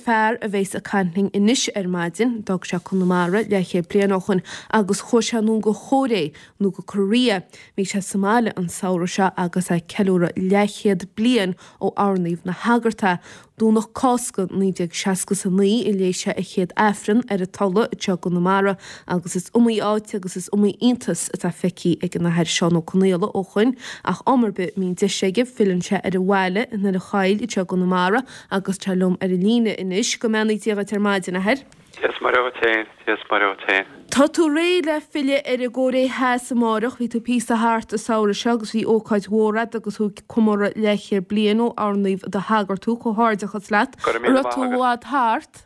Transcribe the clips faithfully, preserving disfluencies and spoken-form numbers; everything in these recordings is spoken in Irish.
fear a bheas ag caint linn anois ar maidin, d'fhág sé Conamara leathchéad bliain ó shoin agus chuaigh sé anonn go Cóiré, nó go Korea. Bhí sé sa mbaile an samhradh seo agus é ag ceiliúradh leathchéad bliain ó oirníodh ina shagart é. Domhnach Cásca naoi déag seasca is a naoi a léigh sé a chéad Aifreann ar an Tulaigh anseo i gConamara agus is iomaí áit agus is iomaí iontas atá feicthe ag an Athair Seán Ó Conaola ó shoin ach am ar bith a mbíonn deis aige filleann sé ar an bhaile i nDoire Choill anseo i gConamara agus tá liom ar an líne anois. Go mbeannaí Dia dhuit ar maidin, a Athair. Dia is Muire dhuit féin, Dia is Muire dhuit féin. Tá tú réidh le filleadh ar an gCóiré Theas amáireach. Bhí tú píosa thart an samhradh seo agus bhí ócáid mhór a'd agus tú ag comóradh leathchéad bliain ó oirníodh i do shagart thú. Comhghairdeachas leat. Go raibh An míle raibh maith tú i agat. bhfad thart?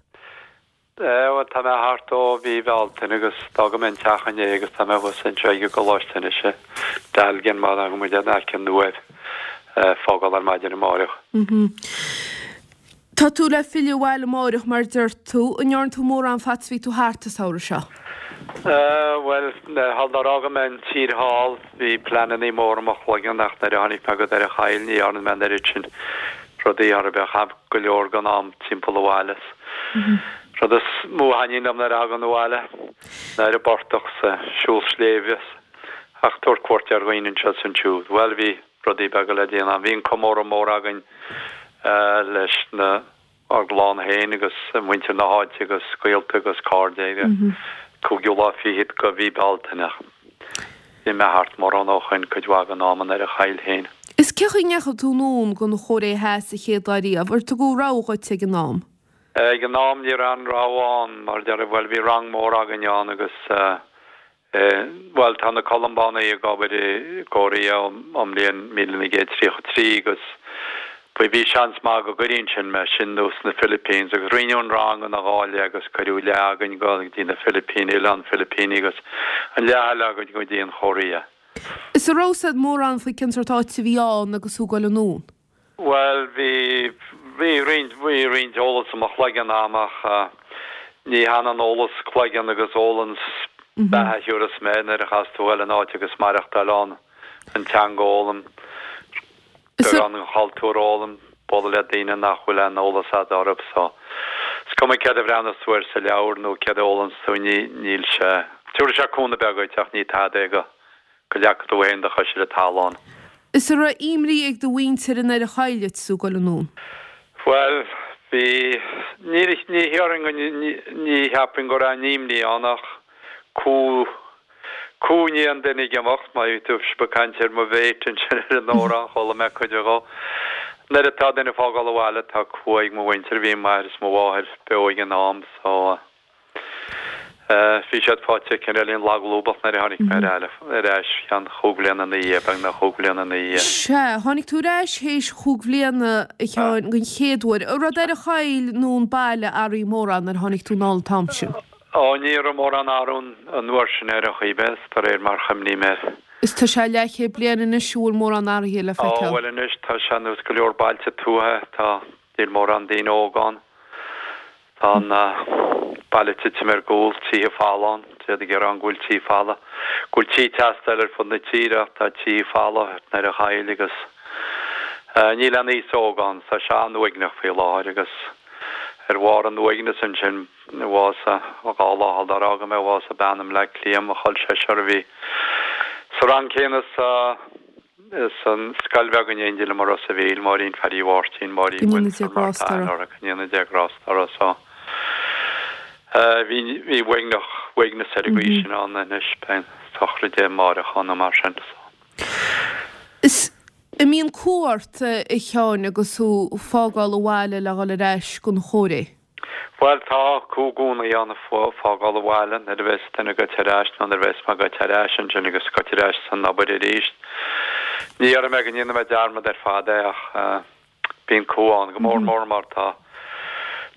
Bhuel, tá mé thart ó mhí Bhealtaine agus d'fhága mé an teach inné agus tá mé thuas anseo ag an gcoláiste anois i Dealgan mar tá muid in aice an Uaimh ag fágáil ar maidin amáireach. Tá tú le filleadh abhaile amáireach mar deir tú. An ndearna tú mórán fad is bhí tú thart an samhradh seo? Bhuel, nuair a fhága mé an tír thall bhí pleanannaí móra i mo chloigeann ach nuair a tháinig mé go Doire Choill ní dhearna mé an oiread sin rudaí ar bith. Chaith go leor den am timpeall an bhaile. Rud is mó a thaitníonn liom nuair a thagann abhaile ná ar an bportach 's siúl sléibhe ach tabhairt cuairt ar dhaoine anseo is ansiúd. Bhuel, bhí. rudaí beaga le déanamh. Bhí an comóradh mór againn leis na, ár gclann féin agus muintir na háite agus gaolta agus cairde ar an cúigiú lá fichead de mhí Bealtaine ach bhí mé thart mórán ó shoin cuid mhaith den am i nDoire Choill féin. Is cén chaoi a ndeachaigh tú anonn don Chóiré Theas a chéad lá riamh? Ar tugadh rogha dhuit ag an am? Ag an am ní raibh aon rogha ann mar deir, bhuel bhí rang mór againn ann agus Bhuel, tá na Columbánaigh ag obair i gCóiréa ón mbliain míle naoi gcéad tríocha trí agus bhí seans maith go gcuirfí ansin mé, sin nó sna Philippines agus roinneadh an rang ina dhá leath agus cuireadh leath againn go dtí na Filipíní, Oileán Filipíní agus an leath eile againn go dtí an Chóiréa. Is an raibh a fhios a'd mórán faoi cén sórt áit a bhí ann agus tú ag dul anonn? Bhuel, bhí, bhí roinnt, bhí roinnt eolas i mo chloigeann a'm ach ní hionann eolas cloigeann agus eolas beatha a thiúrfas mé nuair a chaithfeas tú dhul in áit agus maireachtáil ann, an teanga a fhoghlaim, beagán den chultúr a fhoghlaim, bualadh le daoine nach bhfuil aon eolas a'd orthu so is cuma céard a bhreathnas tú air sa leabhar nó céard a fhoghlaim's tú, ní, níl sé, tiúrfaidh sé cúnamh beag dhuit ach ní tada é go. go leagfaidh tú féin do chois ar an talamh ann. Is an raibh imní ag do mhuintir i nDoire Choill duit is tú ag dul anonn? Bhuel, bhí, ní, ní théarfainn go, ní, ní cheapfainn go raibh aon imní ann ach cumha, cumha i ndiaidh an duine ag imeacht, má bhí tú ag caint ar mo mhéit ansin ar an amhrán, chuala mé cuid dhó. Nuair atá duine ag fágáil an bhaile tá cumha ag mo mhuintir, bhí m'athair is mo mháthair beo ag an am so, Bhí siad faighte cineáilín laglúbach nuair a tháinig mé ar ais, ceann chúig bhliana ina dhiaidh, beagnach chúig bhliana ina dhiaidh. Sea, tháinig tú ar ais théis chúig bhliana, a Sheáin, den chéad uair. An raibh Doire Choill nó an baile athraithe mórán nuair a tháinig tú anall an t-am sin? Ó, ní raibh mórán athrú an uair sin ar an chaoi ar bith, de réir mar chuimhním air. Is tá sé leathchéad bliain anois, an bhfuil mórán athraithe le Ó, feiceáil? bhuel anois tá sé nós go leor bailte tuaithe, tá, níl mórán daoine óga ann. Tá an baile ag titim ar gcúl, tithe folamh ann. D'fhéadfaí a rá go bhfuil tithe folamh, go bhfuil tithe ag teastáil ar fud na tíre ach tá tithe folamh i nDoire Choill agus níl aon aos óg ann. Tá sé an-uaigneach faoi láthair agus ar bharr an uaigneas ansin bhásaigh, dhá lá sular fhága mé, bhásaigh bean i mBleá Cliath, mo chol seisear a bhí sa rang céanna sa San scoil bheag in éindí liom i Ros a' Mhíl, Máirín Phaddy Mháirtín, Máirín Go ndéana Dia Mhuintir mar grásta tá uirthi. uirthi, go ndéana Dia grásta uirthi. So bhí bhí uaigneach, uaigneas ar an gcaoi sin ann anois, beidh an sochraid amáireach ann nó mar sin. So. Is an mbíonn cumha ort, a Sheáin, agus tú ag fágáil an bhaile le dhul ar ais don Chóiré? Bhuel, tá cumha i gcónaí ann ag fágáil an bhaile nuair a bheas duine agat ar ais nó nuair a bheas mé ag goil ar ais ansin agus ag goil ar ais san obair arís. Ní dhéarfaidh mé go ndéanfaidh mé dearmad ar fad é ach bíonn cumha ann, go mór mór mar tá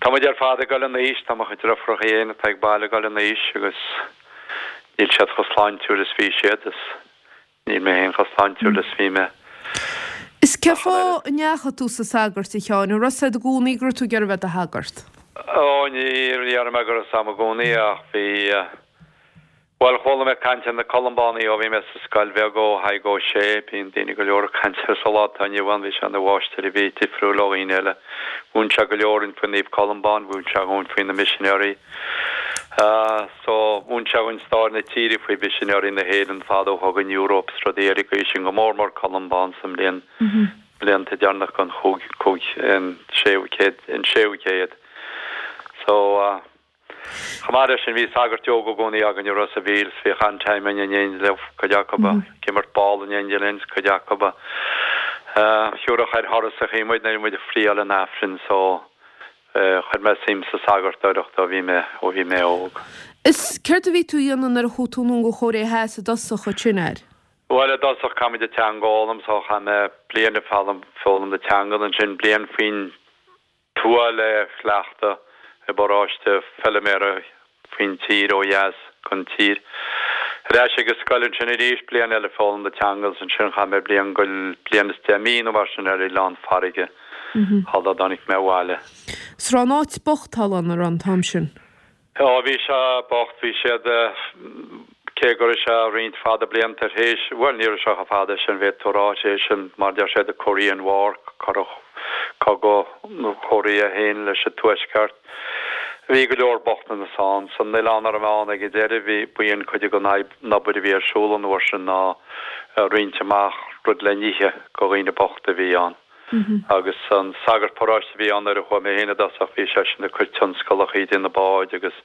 tá muid ar fad ag dul in aois, tá mo chuid deirfiúracha féin atá ag baile ag dul in aois agus níl siad chomh sláintiúil is bhí siad is Níl mé féin chomh sláintiúil is bhí mé. Is cén fáth a ndeachaigh tú sna sagairt, a Sheáin? An raibh 's a'd i gcónaí go raibh tú ag iarraidh bheith i do shagart? Ó, ní déarfaidh mé go raibh 's a'm i gcónaí ach bhí, Bhuel, chuala mé caint ar na Columbánaigh ó bhí mé sa scoil bheag ó Thaidhg Ó Sé, bíonn daoine go leor ag caint air sa lá atá inniu ann, bhí sé ina mháistir a bhí difriúil ó dhaoine eile. Mhúin sé go leor dúinn faoi Naomh Columbán, mhúin sé dhúinn faoi na misinéirí. So, mhúin sé dhúinn stair na tíre faoi mhisinéirí na hÉireann fad ó thug an Eoraip is rudaí ar an gcaoi sin, go mór mór Columbán sa mbliain blianta deireanach den chúig cúig an séú céad an séú céad. So, Chomh maith leis sin bhí sagairt óga i gcónaí againn i Ros a' Mhíl 's bhíodh an-time againn in éindí leo, cuid acu ag imirt ball in éindí linn 's cuid acu a thiúrfadh ar thurasachaí muid nuair a bhí muid ag friáil an Aifrinn so chuir mé suim sa sagartóireacht ó bhí mé ó bhí mé óg. Is céard a bhí tú a dhéanamh nuair a chuaigh tú anonn go Chóiré Theas i dtosach ansin air? Bhuel i dtosach caithfidh muid an teanga a fhoghlaim so chaith mé bliain ag foghlaim foghlaim na teanga ansin bliain faoin tuath le cleachtadh i bparóiste feiliméara faoin tír ó dheas den tír. Ar ais ag an scoil ansin arís, bliain eile foghlaim na teanga agus ansin chaith mé bliain go bliain is deich mí nó mar sin ar oileán farraige shula dtáinig mé abhaile. 'S raibh an áit bocht thall ann, an raibh an t-am sin? Ó bhí sé bocht, bhí siad cé go raibh sé roinnt fada blianta tar éis, bhuel ní raibh sé chomh fada sin, bhféadfá a rá, sé sin mar deir siad the Korean War, cuireadh cogadh na Cóiré féin leis an Tuaisceart. Bhí go leor bochtanas ann. San oileán a raibh mé ann ag an deireadh bhí, ba í an cuid den obair a bhí ar siúl an uair sin ná roinnt amach rud le n-ithe go dhaoine bochta a bhí ann. Agus an sagart paróiste a bhí ann nuair a chuaigh mé féin i dtosach bhí seisean ag cur tionscalachaí ag déanamh báid agus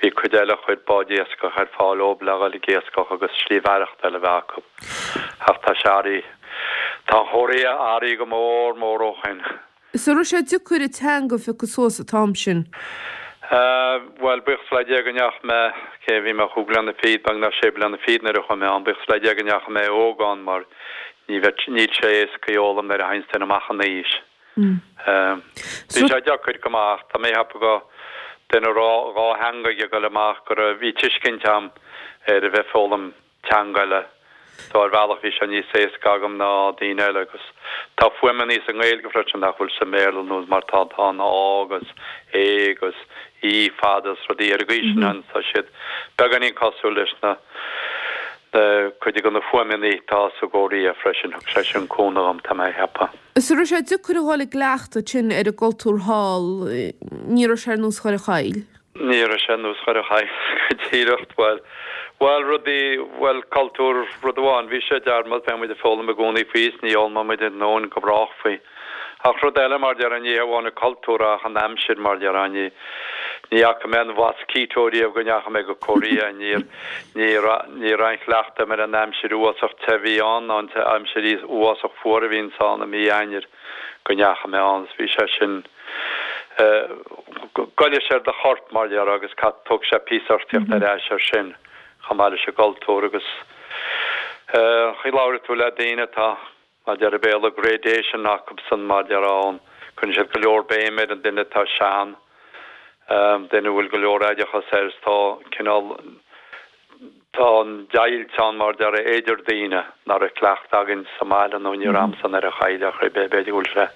bhí cuid eile a chuir báid iascach ar fáil dóibh le dhul ag iascach agus slí mhaireachtáil a bheith acu. Ach tá sé athraithe, tá an Chóiré athraithe go mór mór ó shin. Is an raibh sé deacair an teanga a phiocadh suas an t-am sin? Bhuel, buíochas le Dia go ndeachaigh mé, cé bhí mé chúig bliana fichead, beagnach sé bliana fichead nuair a chuaigh mé ann, buíochas le Dia go ndeachaigh mé óg ann mar ní bheadh, níl sé éasca í a fhoghlaim nuair a théanns duine amach in aois. Bhí sé deacair go maith ach tá mé ag ceapadh go duine a raibh dhá theanga aige ag dul amach go raibh, bhí tuiscint a'm ar a bheith ag foghlaim teanga eile. So ar bhealach bhí sé níos éasca agam ná daoine eile agus tá fuaimeannaí sa nGaeilge freisin nach bhfuil sa mBéarla nós mar tá tá an Á agus É agus Í fada is rudaí ar an gcaoi sin ann tá siad beagáinín cosúil leis na na cuid de na fuaimeannaí atá sa gCóiré freisin thug sé sin cúnamh dom tá mé a cheapadh. Is an raibh sé deacair a dhul i gcleachtadh ansin ar an gcultúr thall, ní raibh sé ar nós Dhoire Chaill? Ní raibh sé ar nós Dhoire Chaill go díreach, bhuel, bhuel, rudaí, bhuel, cultúr, rud amháin, bhí sé dearmad, bheadh muid ag foghlaim i gcónaí faoi is ní fhoghlaimeoidh muid ar ndóin go brách faoi. Ach rud eile, mar déarfá, ní hamháin an cultúr ach an aimsir, mar déarfá, ní, ní fhaca mé an mosquito riamh go ndeachaigh mé go Korea, ní, ní raibh, ní raibh aon chleachtadh agam ar an aimsir uafásach te a bhí ann ná an aimsir uafásach fuar a bhíonns ann i mí Eanáir. go ndeachaigh mé ann is bhí sé sin goilleann sé ar do chorp mar déarfá agus thóg sé píosa ort teacht ar ais ar sin chomh maith leis an gcultúr agus chaoi labhraíonn tú le daoine atá mar déarfá Béarla gradation acusan mar déarfá ann cuireann siad go leor béim ar an duine atá sean duine a bhfuil go leor oideachas air is tá cineál Tá an deighilt ann mar déarfá idir daoine nach raibh cleachtadh againn sa mbaile nó ní raibh a'msa i nDoire Chaill ach ar bith, b'fhéidir go bhfuil sé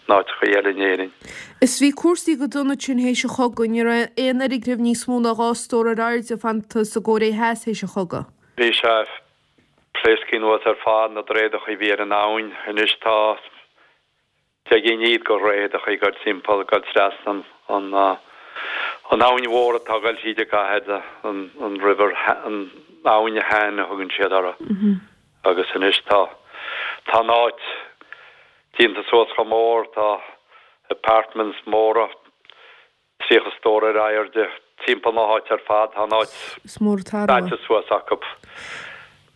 in áiteachaí eile in Éirinn. Is bhí cúrsaí go dona ansin théis an chogaidh, ní raibh aon fhoirgneamh níos mó ná dhá stór ar airde fanta sa gCóiré Theas théis an chogaidh. Bhí sé pléasctha anuas ar fad, na droicheadachaí a bhí ar an abhainn. Anois tá. Deich gcinn de dhroicheadachaí ag goil timpeall, ag goil trasna an an abhainn mhór atá ag goil thríd an gcathair, an an River an abhainn Han a thugann siad uirthi. Agus anois tá tá an áit déanta suas chomh mór, tá apartments móra, tríocha stór ar airde timpeall na háite ar fad. Tá an áit Is mór an t-athrú é. daite suas acu.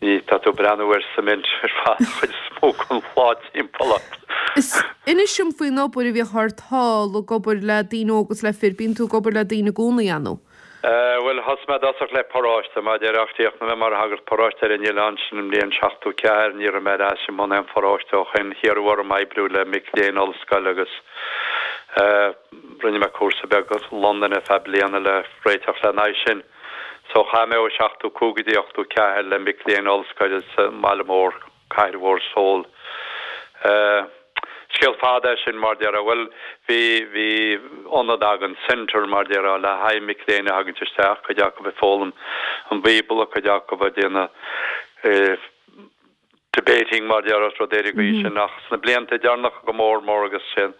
Ní, tá tú ag breathnú ar cement ar fad an chuid is mó den lá timpeall ort. Is inis dom faoin obair a bhíodh ort thall ag obair le daoine óga agus le fir. Bíonn tú ag obair le daoine i gcónaí, an ea? Bhuel, thosaigh mé i dtosach le paróiste, mar a déarfá ach chríochnaigh mé mar shagart paróiste ar an oileán sin i mbliain seachtó ceathair. Ní raibh mé ar ais i mbun aon pharóiste ó shin. Hiarradh orm oibriú le mic léinn ollscoile agus rinne mé cúrsa beag i Londain ar feadh bliana le réiteach lena aghaidh sin. So chaith mé ó seachtó cúig go dtí ochtó ceathair le mic léinn ollscoile sa mbaile mór, cathair mhór Seoul. Scéal fada é sin mar déarfá. Bhuel, bhí, bhí ionad againn, centre mar déarfá, le haghaidh mic léinn a thagann isteach, cuid acu ag foghlaim an Bhíobla, cuid acu ag déanamh eh, debating mar déarfá is rud ar an gcaoi sin ach sna blianta deireanacha go mór mór agus sin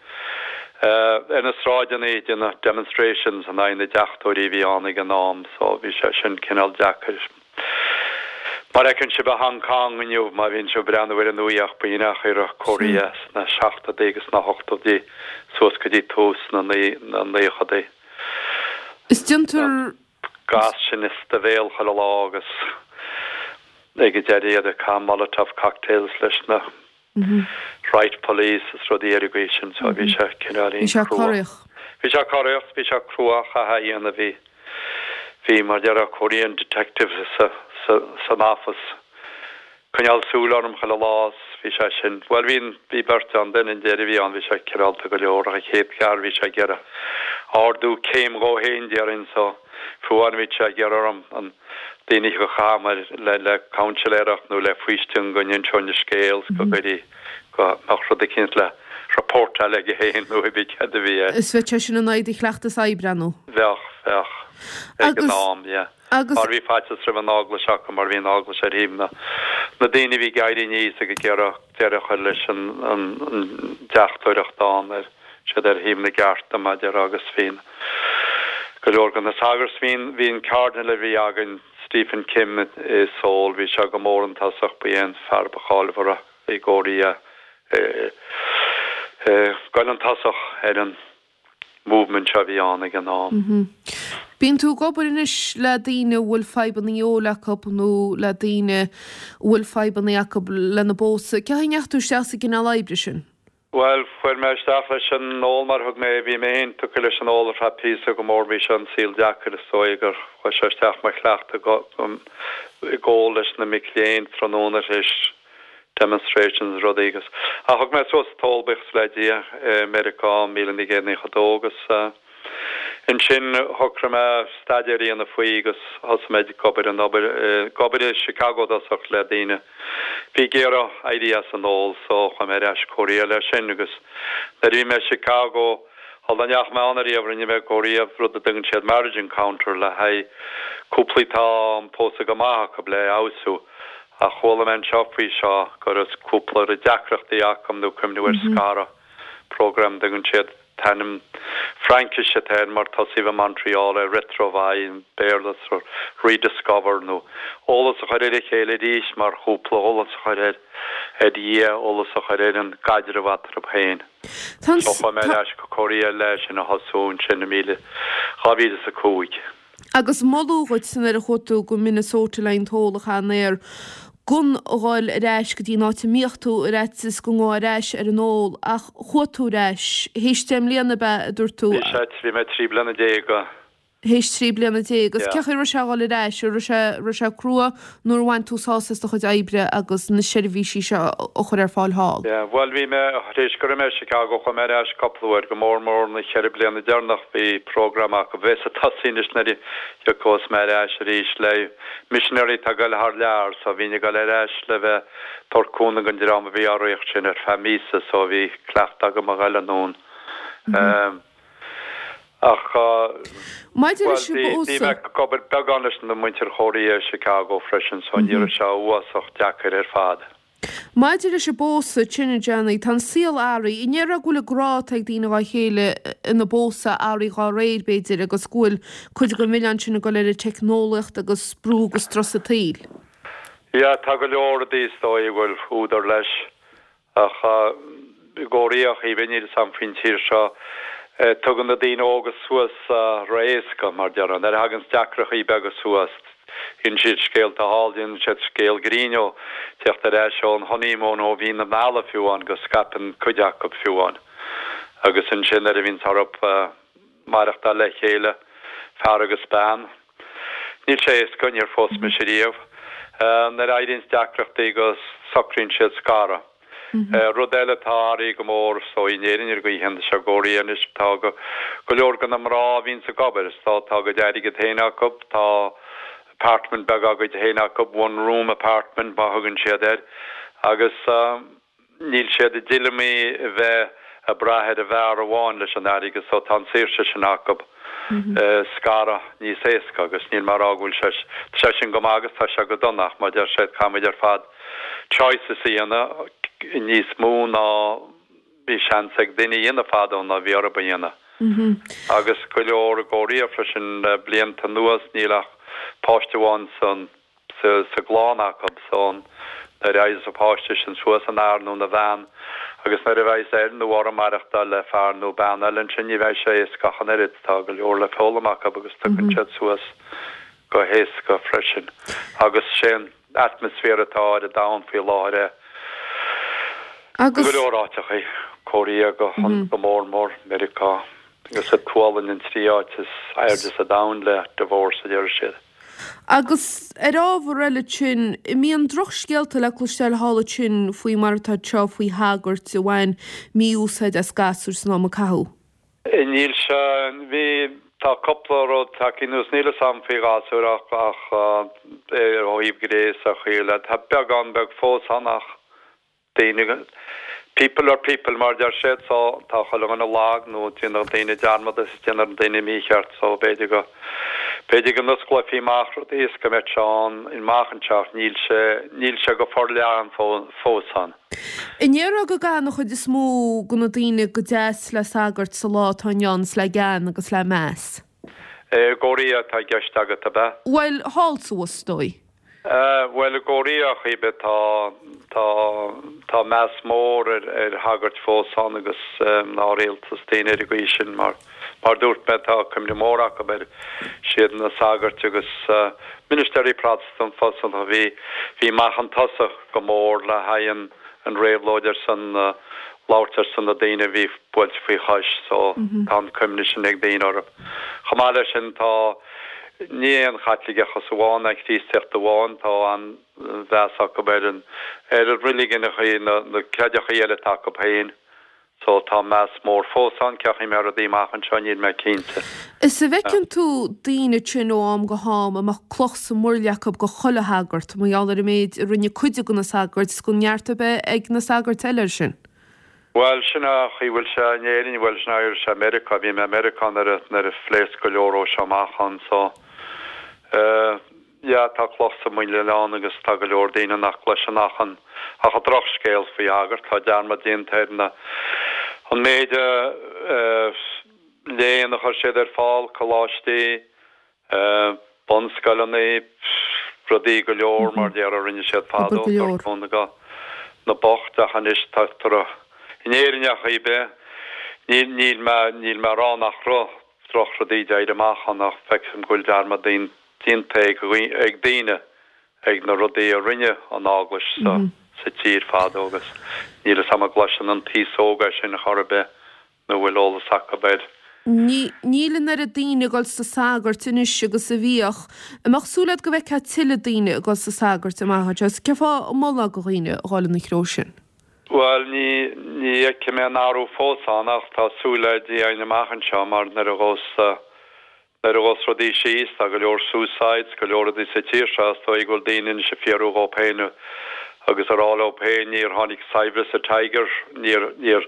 eh, ar na sráideanna ag déanamh demonstrations in aghaidh na deachtóirí a bhí ann ag an am so bhí sé sin cineál deacair. Mar a fheiceann sibh i Hong Kong inniu, má bhíonn sibh ag breathnú ar an nuacht b'in an chaoi a raibh Korea sna seachtóidí agus sna hochtóidí suas go dtí tús na naochadaí. Is déantar. Gas sin is do bhéal chuile lá agus ag an deireadh iad ag caitheamh Molotov cocktails leis na riot police is rudaí ar an gcaoi sin so bhí sé cineáilín Bhí sé crua. corraitheach. Bhí sé corraitheach, bhí sé crua chaithfeá a dhéanamh bhí bhí mar déarfá Korean detectives sa sa san office coinneáil súil orm chuile lá is bhí sé sin bhuel bhí bhí beirt ann duine an deireadh a bhí ann bhí sé cineálta go leor ach an chéad fear bhí sé ag iarraidh ardú céim dhó féin déarfainn so fiú amháin bhí sé ag iarraidh orm an daoine go chaithfeadh le le counselóireacht nó le faoistin go n-inseoinn a scéal go gcuirí go mbeadh rud eicínt le reportáil aige féin nó bhí cead a bhí air. Is bheadh sé sin in aghaidh do chleachtas oibre nó? Bheadh, bheadh. Ag an am, yeah. Agus. Mar bhí faitíos roimh an eaglais acu mar bhí an eaglais ar thaobh na na daoine a bhí ag éirí aníos ag iarraidh deireadh a chur leis an an an deachtóireacht ann ar siad ar thaobh na gcearta mar déarfá agus bhí go leor de na sagairt bhí bhí an cardinal a bhí againn Stephen Kim i Seoul bhí sé go mór an tosach ba é an fear ba cháilmhara i gCóiréa gabháil an tosach ar an movement seo a bhí ann ag an am. Bíonn tú ag obair anois le daoine a bhfuil fadhbanna óil acu nó le daoine a bhfuil fadhbanna acu lena bpósadh. Cén chaoi a ndeachaigh tú isteach sa gcineál oibre sin? Bhuel, fuair mé isteach leis an ól mar thug mé, bhí mé féin tugtha leis an ól ar feadh píosa go mór, bhí sé an saol deacair is dóigh gur chuaigh sé isteach mo chleachtadh ag ól leis na mic léinn tráthnóna tar éis demonstrations rudaí agus ach thug mé suas an t-ól buíochas le Dia i Meiriceá míle naoi gcéad naocha dó agus ansin shocraigh mé staidéar a dhéanamh faoi agus thosaigh mé ag obair an obair ag obair i Chicago i dtosach le daoine bhí ag iarraidh éirí as an ól so chuaigh mé ar ais Korea leis sin agus nuair a bhí mé i Chicago shula ndeachaigh mé ann ariamh rinne mé Korea rud a dtugann siad marriage encounter le haghaidh cúplaí atá an pósadh go maith acu le fheabhsú ach chuala mé anseo faoi seo go raibh cúpla a raibh deacrachtaí acu nó cuimhniú ar scaradh program dtugann siad t-ainm Fraincise atá air mar tosaíodh i Montreal é Retrouvaille Béarla so rediscover nó eolas a chur ar a chéile arís mar chúpla eolas a chur ar ar Dhia eolas a chur ar an gcaidreamh eatarthu féin. Tá So chuaigh mé ar ais go Korea leis sin a thosú ansin i míle dhá mhíle is a cúig. Agus moladh dhuit nuair a chuaigh tú go Minnesota le an t-ól a chaitheamh in aer gan a dhul ar ais go dtí an áit a mbíodh tú ar fhaitíos go ngabhfá ar ais ar an ól ach chuaigh tú ar ais théis deich mbliana ab ea a dúirt tú? Bhí sé, bhí mé trí bliana déag. Théis trí bliana déag. Agus Yeah. cén chaoi a raibh sé a dhul ar ais? An raibh sé, raibh sé crua nó ar bhain tú sásamh as do chuid oibre agus na seirbhísí seo a chur ar fáil thall? Yeah, bhuel bhí mé, tar éis go raibh mé i Chicago chuaigh mé ar ais cúpla uair, go mór mór na ceithre bliana deireanach bhí program acu, bheas ag tosaí anois nuair a thiocfas mé ar ais arís le missionary atá ag goil thar lear so bhínn ag goil ar ais le bheith tabhairt cúnamh don dream a bhí á ritheacht sin ar feadh míosa so bhí cleachtadh agam a ghoil anonn. Ach Maidir bhuel leis an bhí bhí mé bpósadh. ag obair beagán leis na muintir Chóiréa i Chicago freisin so ní raibh sé uafásach deacair ar fad. Maidir leis an bpósadh, sin a Johnny, tá an saol athraithe. An ndéarfá go bhfuil an grá atá ag daoine dhá chéile ina bpósadh athraithe dhá réir, b'fhéidir, agus go bhfuil cuid den mhilleán sin ag dul ar an teicneolaíocht agus brú agus strus an tsaoil? Yeah, tá go leor rudaí is dóigh a bhfuil údar leis. Ach i gCóiréa, níl a fhios agam faoin tír seo, tugann na daoine óga suas ró-éasca, mar déarfá. Nuair a thaganns deacrachtaí beaga suas, déanann siad scéalta thall, déanann siad scéal grinn ó teacht ar ais ón honeymoon, ó mhí na meala fiú amháin, go scaipeann cuid acu fiú amháin. Agus ansin nuair a bhíonns orthu maireachtáil le chéile, fear agus bean, níl sé éasca, níor phós mise riamh, nuair a éiríonns deacrachtaí go socraíonn siad scaradh. Rud eile atá athraithe go mór so in Éirinn ar an gcaoi chéanna seo i gCóiréa anois tá go go leor de na mná a bhíonns ag obair is tá tá a gcuid airgead féin acu, tá apartment beag á gcuid féin acu, one room apartment mar a thugann siad air agus níl siad i dtuilleamaí a bheith ag brath ar an bhfear amháin leis an airgead so tá an saoirse sin acu scaradh níos éasca agus níl mé ag rá go bhfuil sé tá sé sin go maith agus tá sé go dona ach mar a deir siad caithfimid ar fad choices a dhéanamh níos mó ná bhí seans ag duine a dhéanamh fadó ná bhí orthu a dhéanamh. Agus go leor i gCóiréa freisin le blianta anuas níl ach páiste amháin san sa gclann acu so nuair a éireos an páiste sin suas ina fhear nó ina bhean agus nuair a bheas air nó uirthi maireachtáil le fear nó bean eile ansin ní bheidh sé éasca ach an oiread. Tá go leor le foghlaim acu agus tagann siad suas go héasca freisin agus sé an atmaisféar atá ar an domhan faoi láthair é i go leor áiteachaí, Korea go go mór mór, Meiriceá agus an tSualainn an trí áit is airde sa domhan le divorce a deir siad. Agus ar ábhar eile ansin, an mbíonn drochscéalta le cloisteáil thall ansin faoi mar atá anseo faoi shagairt a bhain mí-úsáid as gasúir san am a caitheadh? Níl sé, bhí, tá cúpla rud tagtha anuas, níl fhios a'm faoi ghasúir ach, ach ó thaobh gnéas a chaoi, tá beagán beag fós ann ach daoine, people are people mar deir siad so tá chuile dhuine lag nó déanann daoine dearmad is déanann daoine mícheart so b'fhéidir go, b'fhéidir go n-osclófaí amach rudaí is go mbeadh sé ann amach anseo ach níl sé, níl sé go forleathan fós ann. An ndéarfá go gcaitheann an chuid is mó de na daoine go deas le sagairt sa lá atá inniu ann is le gean agus le meas? I gCóiréa atá i gceist agat, ab ea? Bhuel, thall suas, is dóigh. Bhuel, i gCóiréa chaoi ar bith tá, tá, tá meas mór ar, ar shagairt fós ann agus mná rialta is daoine ar an gcaoi sin mar, mar dúirt mé tá cuimhne mór acu ar, siad na sagairt agus ministéirí Protastúnacha fosta a bhí, bhí amach chun tosaigh go mór le haghaidh an, an réabhlóid ar son, labhairt ar son na daoine a bhí buailte faoi chois so tá an cuimhne sin ag daoine orthu. Chomh maith leis sin tá. Ní é an Chaitliceachas amháin, an Chríostaíocht amháin, tá an-mheas acu ar an ar an reiligiúnachaí, na na creideachaí eile atá acu féin. So tá meas mór fós ann, cén chaoi a mbeidh rudaí amach anseo, níl mé cinnte. Is an bhfeiceann tú daoine ansin ó am go ham a mbeadh cloch sa mhuirle acu go chuile shagart, mar gheall ar an méid a rinne cuid de na sagairt, is gan neart ar bith ag na sagairt eile air sin. Bhuel, sin an chaoi a bhfuil sé in Éirinn, bhuel, sin é sé i Meiriceá, bhí mé i Meiriceá nuair a, nuair a phléasc go leor ó seo amach ann, so, eh, yeah, tá cloch sa muileann ann agus tá go leor daoine nach gcloiseann ach an, ach an drochscéal faoi shagart, tá dearmad déanta ar na, an méid, eh, eh, léann a chuir siad ar fáil, coláistí, bunscoileanna, rudaí go leor mar déarfá a rinne siad Obair fadó, go leor. cúnamh do na boicht ach anois tá toradh in Éirinn ar chaoi ar bith, níl, níl mé, níl mé ag rá nach raibh drochrudaí d'éirigh amach ann ach feicim go bhfuil dearmad déanta ag, ag daoine ag na rudaí a rinne an Eaglais sa, sa tír fadó agus níl fhios a'm an gcloiseann an t-aos óg é sin chor ar bith. nó bhfuil eolas acu air. Níl an oiread daoine ag dul sna sagairt anois agus a bhíodh. An mbeadh súil agat go bhfeicfeá tuilleadh daoine ag dul sna sagairt amach anseo? Is cén fáth a molfá do dhaoine a dhul ina threo sin? Bhuel, ní, ní fheicim aon athrú fós ann ach tá súil le Dia againn amach anseo mar nuair a ghabhas, Nuair a ghabhas rudaí síos, tá go leor suicides, go leor rudaí sa tír seo, is dóigh go bhfuil daoine anois ag fiafraí dhóibh féin agus ag rá leo féin, níor tháinig saibhreas an Tiger, níor, níor,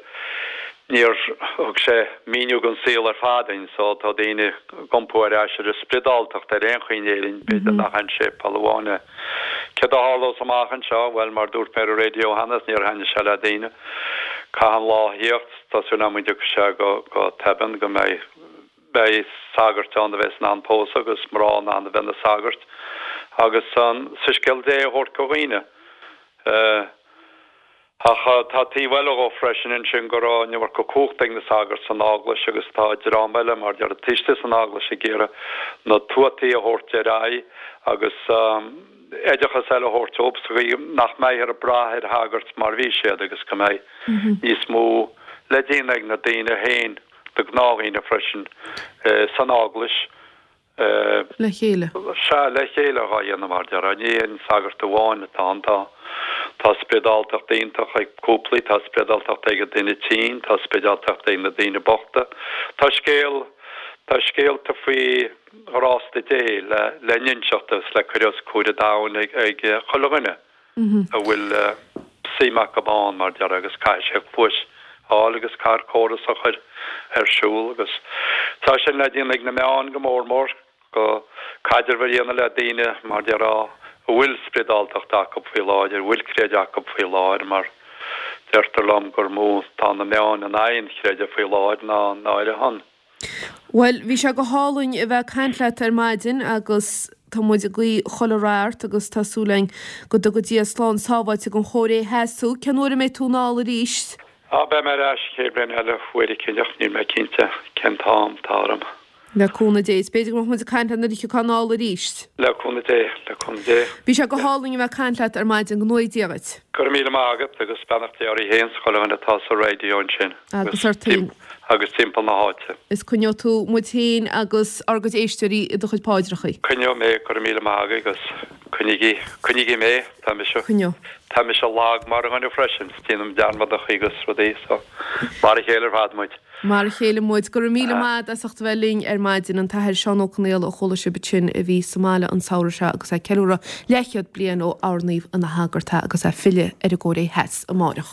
níor thug sé míniú don saol ar fad duinn, so tá daoine ag iompú ar ais ar an spioradáltacht ar aon chaoi in Éirinn, b'fhéidir nach aon séipéal amháin é. Céard a tharlós amach anseo? Bhuel, mar dúirt mé ar an raidió cheana, níor thaitnigh sé le daoine. Caithfidh an lá a thíocht, tá súil agam go dtiocfaidh sé go, go tobann, go mbeidh, Beidh sagairt ann a bheas in ann pósadh agus mná in ann a bheith ina sagairt agus an soiscéal Dé a thabhairt go dhaoine. Ach tá taobh eile dhó freisin ansin go raibh an iomarca cumhachta ag na sagairt san Eaglais agus tá dream eile mar deir taobh istigh san Eaglais ag iarraidh na tuataí a thabhairt ar aghaidh agus oideachas eile a thabhairt dóibh sa gcaoi nach mbeifear ag brath ar shagairt mar bhí siad agus go mbeidh níos mó le déanamh ag na daoine féin. Na gnáthdhaoine freisin san Eaglais. Le chéile. Sea, le chéile dhá dhéanamh mar déarfá. Ní aon sagart amháin atá ann. Tá tá spioradáltacht iontach ag cúplaí, tá spioradáltacht ag an duine tinn, tá spioradáltacht ag na daoine bochta. Tá scéal, tá scéalta faoi ghrásta Dé le le n-inseacht agus le cur os comhair an domhain ag ag chuile dhuine. a bhfuil suim acu ann mar déarfá agus caithfidh sé cluas a fháil agus caithfear córas a chur ar siúl agus tá sin le déanamh ag na meáin go mór mór go caidreamh a dhéanamh le daoine mar déarfá a bhfuil spioradáltacht acu faoi láthair, a bhfuil creideamh acu faoi láthair mar deirtear liom gur mó tá na meáin in aghaidh an chreidimh faoi láthair ná ná ar a shon. Bhuel, bhí sé go hálainn a bheith ag caint leat ar maidin agus tá muid ag guí chuile rath ort agus tá súil againn go dtuga Dia slán sábháilte don Chóiré Theas thú. Cén uair a mbeidh tú anall arís? Á, beidh mé ar ais an chéad bhliain eile, uair eicínt, níl mé cinnte cén t-am atá orm. Le cúnamh Dé. Is b'fhéidir go mbeadh muid ag caint leat nuair a thiocfá anall arís. Le cúnamh Dé, le cúnamh Dé. Bhí sé go hálainn a bheith ag caint leat ar maidin, go ngnóthaí Dia dhuit. Go raibh míle maith agat agus beannacht Dé oraibh féin 's chuile dhuine atá sa raidió ansin Agus ort féin. agus timpeall na háite. Is coinneoidh tú muid féin agus ár gcuid éisteoirí i do chuid paidreachaí. Coinneoidh mé, go raibh míle maith agaibh agus coinnígí, coinnígí mé, tá mise, Coinneoidh. tá mise lag mar dhuine freisin, 's déanaim dearmadachaí agus rudaí so mar a chéile ar fad muid. Mar a chéile muid. Go raibh míle maith agat as ucht a bheith linn ar maidin. An tAthair Seán Ó Conaola a chuala sibh ansin a bhí sa mbaile an samhradh seo agus é ag ceiliúradh leathchéad bliain ó oirníodh ina shagart é agus é ag filleadh ar an gCóiré Theas amáireach.